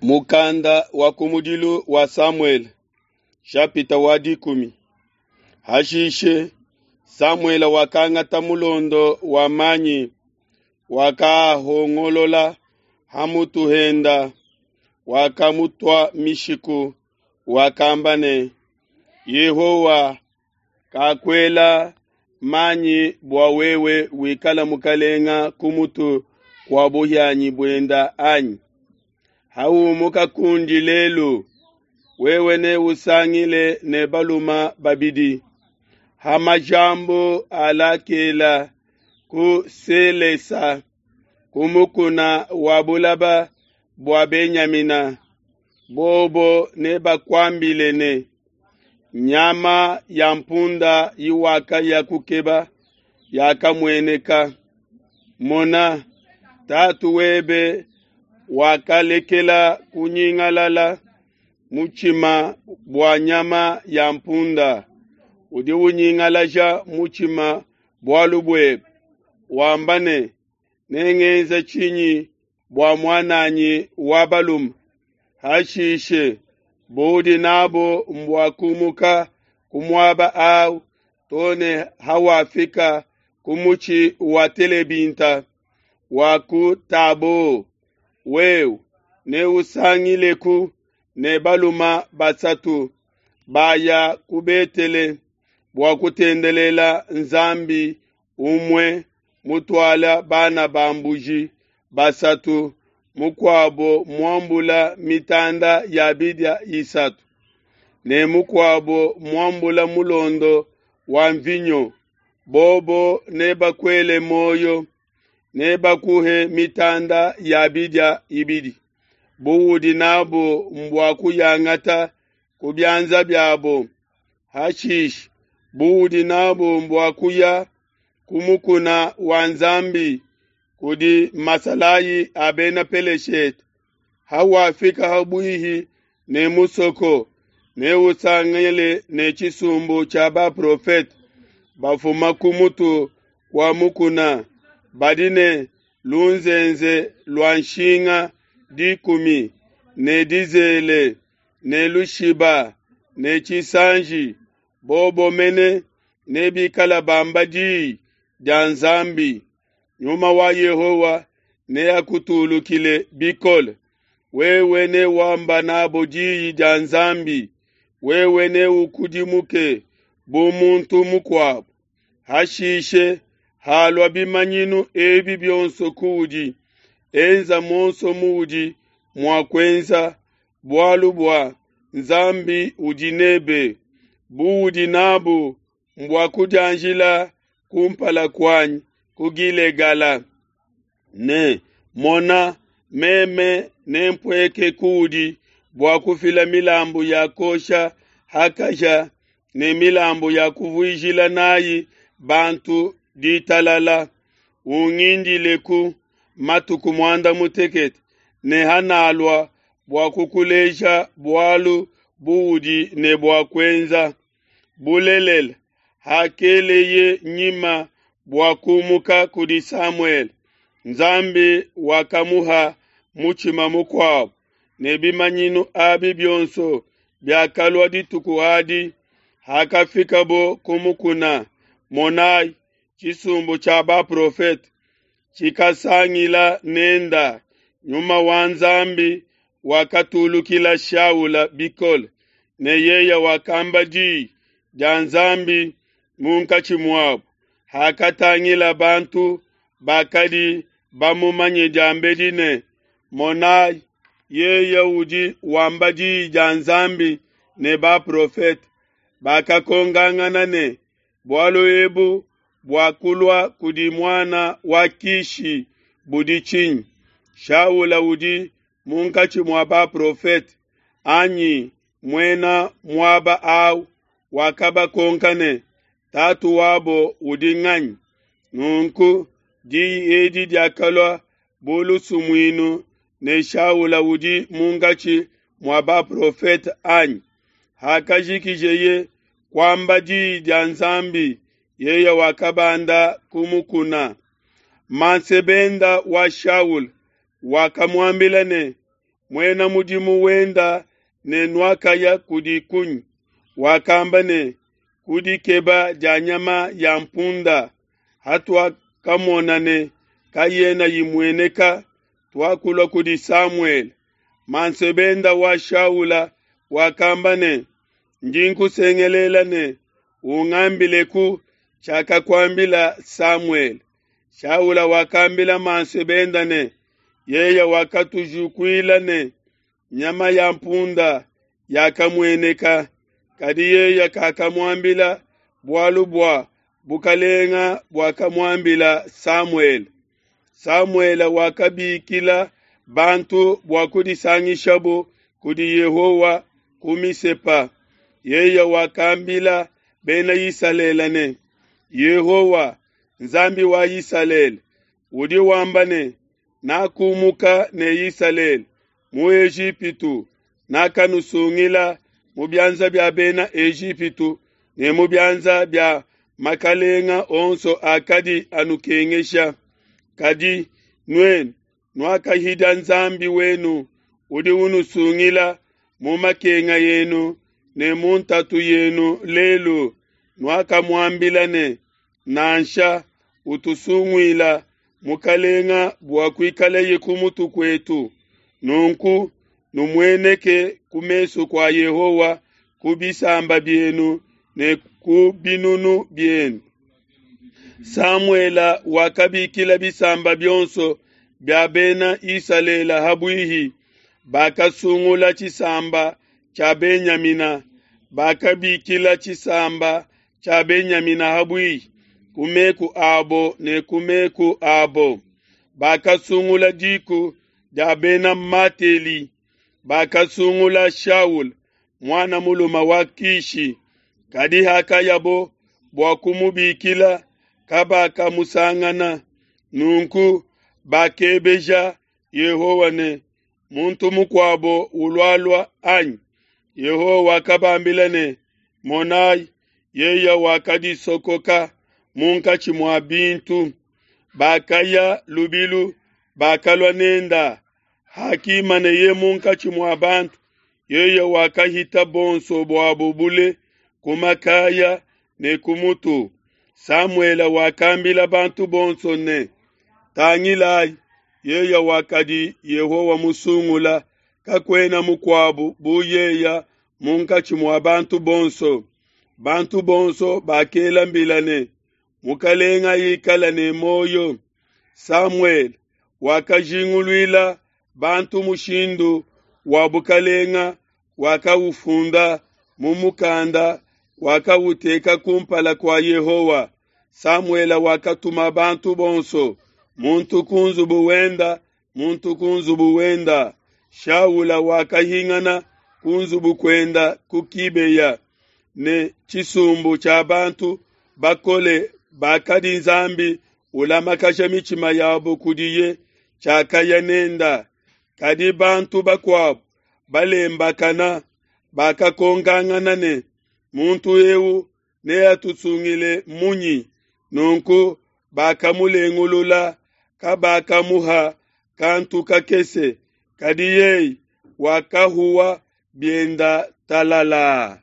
Mukanda wa kumudilu wa Samuele, shapita wa dikumi. Hashishe Samuele wakangata mulondo wa manyi, wakahongolola ha mutu henda, wakamutua mishiku, wakamba ne, Yehowa kakuela manyi bua wewe wikala mukalenga ku mutu kua buhianyi buenda anyi? Hawumuka kundi lelu, wewe neusangile ne baluma babidi ha majambu a Lakela ku Selesa ku mukuna wa bulaba bua Benyamina. Bobo nebakuambile ne, nyama ya mpunda iwakaya kukeba yakamueneka. Mona, tatu webe wakalekela kunyingalala mutshima bua nyama ya mpunda, udi unyingalaja mutshima bualu buebe, wamba ne, nengenze tshinyi bua muananyi wa balume? Hashishe budi nabo mbua kumuka ku muaba awu to ne hawafika ku mutshi wa telebinta wa ku Tabo. Wewe neusangileku ne baluma basatu baya ku Betele bua kutendelela Nzambi umue mutuala bana ba mbuji basatu, mukuabo muambula mitanda ya bidia isatu, ne mukuabo muambula mulondo wa mvinyo. Bobo nebakuele muoyo, nebakuhe mitanda ya bidia ibidi, buudi nabo mbua kuyangata ku bianza biabo. Hashishe buudi nabo mbua kuya ku mukuna wa Nzambi kudi masalayi a Bena Peleshete. Hawafika habuihi ne musoko, neusangile ne tshisumbu tshia baprofete bafuma ku mutu kua mukuna, badi ne lunzenze lua nshinga dikumi, ne dizele, ne lushiba, ne tshisanji. Bobo mene nebikala bamba diyi dia Nzambi. Nyuma wa Yehowa neakutulukile bikole. Wewe newamba nabo diyi dia Nzambi, wewe neukudimuke bu muntu mukuabo. Hashishe halua bimanyinu ebi bionso kuudi, enza muonso muudi mua kuenza, bualu bua Nzambi udi nebe. Buudi nabu mbua kudianjila kumpala kuanyi ku Gilegala. Ne mona, meme nempueke kuudi bua kufila milambu ya kosha ha kahia ne milambu ya kuvuijila nayi bantu ditalala. Ungindileku matuku muanda mutekete, ne hanalua bua kukuleja bualu buudi ne bua kuenza. Bulelela, hakeleye nyima bua kumuka kudi Samuele, Nzambi wakamuha mutshima mukuabo, ne bimanyinu abi bionso biakalua dituku adi. Hakafikabo ku mukuna, monai, tshisumbu tshia baprofete tshikasangila nenda. Nyuma wa Nzambi wakatulukila Shaula bikole, ne yeye wakamba diyi dia Nzambi munkatshi muabo. Hakatangila bantu bakadi bamumanye diambedi ne, monai, yeye udi wamba diyi dia Nzambi ne baprofete, bakakongangana ne, bualu ebu buakulua kudi muana wa Kishi budi tshinyi? Shaula udi munkatshi mua baprofete anyi? Muena muaba awu wakabakonka ne, tatu wabo udi nganyi? Nunku diyi edi diakalua bu lusumuinu ne, Shaula udi munkatshi mua baprofete anyi? Hakajikijeye kuamba diyi dia Nzambi, yeye wakabanda ku mukuna. Mansebenda wa Shaula wakamuambila ne, muena mudimu wenda ne nuakaya kudi kunyi? Wakamba ne, Ku dikeba dia nyama ya mpunda, hatuakamona ne kayena imueneka, tuakulua kudi Samuele. Mansebenda wa Shaula wakamba ne, Ndi nkusengelela ne, Ungambileku tshiakakuambila Samuele. Shaula wakambila mansebenda ne, Yeye wakatujukuila ne, Nyama ya mpunda yakamueneka. Kadi yeye kakamuambila bualu bua bukalenga buakamuambila Samuele. Samuele wakabikila bantu bua kudisangishabo kudi Yehowa ku Misepa. Yeye wakambila Bena Isalele ne, Yehowa, Nzambi wa Isalele, udi wamba ne, Nakumuka ne Isalele mu Ejipitu, nakanusungila mu bianza bia Bena Ejipitu ne mu bianza bia makalenga onso akadi anukengesha. Kadi nuenu nuakahidia Nzambi wenu udi unusungila mu makenga enu ne mu ntatu yenu lelu, nuakamuambila ne, Nansha, utusunguila mukalenga bua kuikaleye ku mutu kuetu. Nunku numueneke ku mesu kua Yehowa ku bisamba bienu ne ku binunu bienu. Samuele wakabikila bisamba bionso bia Bena Isalele ha buihi, bakasungula tshisamba tshia Benyamina, bakabikila tshisamba tshia Benyamina ha buihi ku meku abo ne ku meku abo. Bakasungula diku dia Bena Mateli, bakasungula Shaula, muana mulume wa Kishi. Kadi hakayabo bua kumubikila, kabakamusangana. Nunku bakebeja Yehowa ne, Muntu mukuabo ulualua, anyi? Yehowa wakabambila ne, Monai, yeye wakadisokoka munkatshi mua bintu. Bakaya lubilu, bakalua nenda. Hakimaneye munkatshi mua bantu, yeye wakahita bonso buabo bule ku makaya ne ku mutu. Samuele wakambila bantu bonso ne, Tangilai, yeye wakadi Yehowa musungula, kakuena mukuabo bu yeye munkatshi mua bantu bonso. Bantu bonso bakela mbila ne, Mukalenga ikala ne muoyo. Samuele wakajinguluila bantu mushindu wa bukalenga, wakaufunda mu mukanda, wakauteka kumpala kua Yehowa. Samuele wakatuma bantu bonso, muntu ku nzubu wenda, muntu ku nzubu wenda. Shaula wakahingana ku nzubu kuenda ku Kibeya ne tshisumbu tshia bantu bakole bakadi Nzambi ulamakasha mitshima yabo kudiye tshiakaya nenda. Kadi bantu bakuabo balembakana bakakonkangana ne, Muntu eu neatusungile munyi? Nunku bakamulengulula, kabakamuha kantu kakese, kadi yeye wakahuwa bienda talala.